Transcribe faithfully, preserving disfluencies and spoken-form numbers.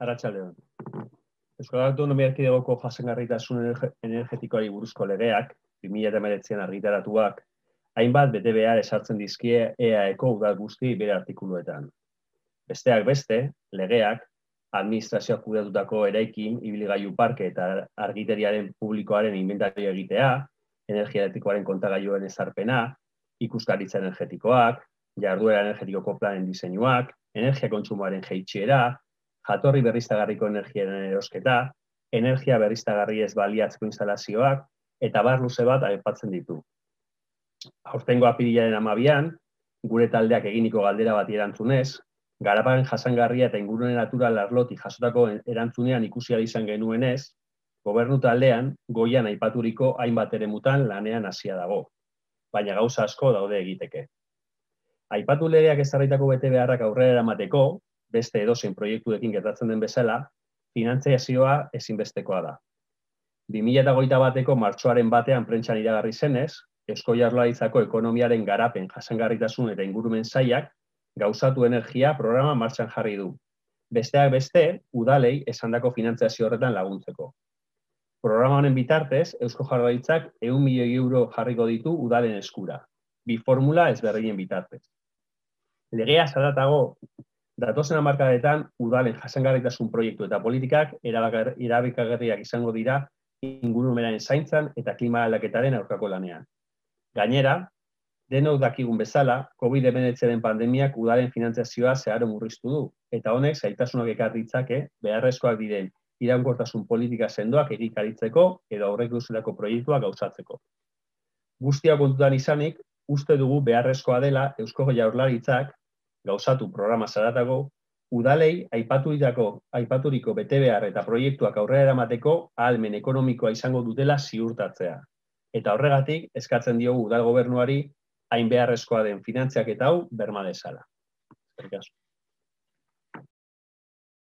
Arratsaldeon. Euskal Autonomia Erkidegoko jasangarritasun energetikoari buruzko legeak, bi mila hemeretzian argitaratuak, hainbat betebehar ezartzen dizkie E A Eko udal guzti bere artikuluetan. Besteak beste, legeak, administrazioak kudeatutako eraikin, ibilgailu parke eta argiteriaren publikoaren inventarioa egitea, energia elektrikoaren kontagailuen ezarpena, ikuskaritza energetikoak, jarduera energetikoko planen diseinuak, energia kontsumoaren jaitsiera, jatorri berriztagarriko energiaren erosketa, energia berriztagarri ez baliatzeko instalazioak, eta bar luze bat aipatzen ditu. Aurtengo apirilaren hamabian, gure taldeak eginiko galdera bati erantzunez, garapen jasangarria eta ingurune natural arlotik jasotako erantzunean ikusi ahal izan genuenez, gobernu taldean goian aipaturiko hainbat eremutan lanean hasia dago, baina gauza asko daude egiteke. Aipatu legeak ezarritako betebeharrak aurrera eramateko, beste edozein proiektuekin gertatzen den bezala, finantziazioa ezinbestekoa da. bi mila hogeita bateko martxoaren batean prentsan iragarri zenez, Eusko Jaurlaritzako ekonomiaren garapen jasangarritasun eta ingurumen sailak gauzatu energia programa martxan jarri du. Besteak beste, udalei esandako finantziazio horretan laguntzeko. Programa honen bitartez, Eusko Jaurlaritzak ehun milioi euro jarriko ditu udalen eskura, bi formula ezberdinen bitartez. Legea zaratago, datozen hamarkadetan udalen jasangarritasun proiektu eta politikak erabakagarriak izango dira ingurumenaren zaintzan eta klima aldaketaren aurkako lanean. Gainera, denok dakigun bezala, covid hemeretziaren pandemiak udalen finantziazioa zeharo murriztu du, eta honek zailtasunak ekar ditzake beharrezkoak diren iraunkortasun politika sendoak egikaritzeko edo aurreikusitako proiektuak gauzatzeko. Guztia kontutan izanik, uste dugu beharrezkoa dela Eusko Jaurlaritzak gauzatu programa zaratago, udalei aipaturiko, aipaturiko betebehar eta proiektuak aurrera eramateko ahalmen ekonomikoa izango dutela ziurtatzea. Eta horregatik eskatzen diogu udal gobernuari hain beharrezkoa den finantziaketa hau berma dezala. Eskerrik asko.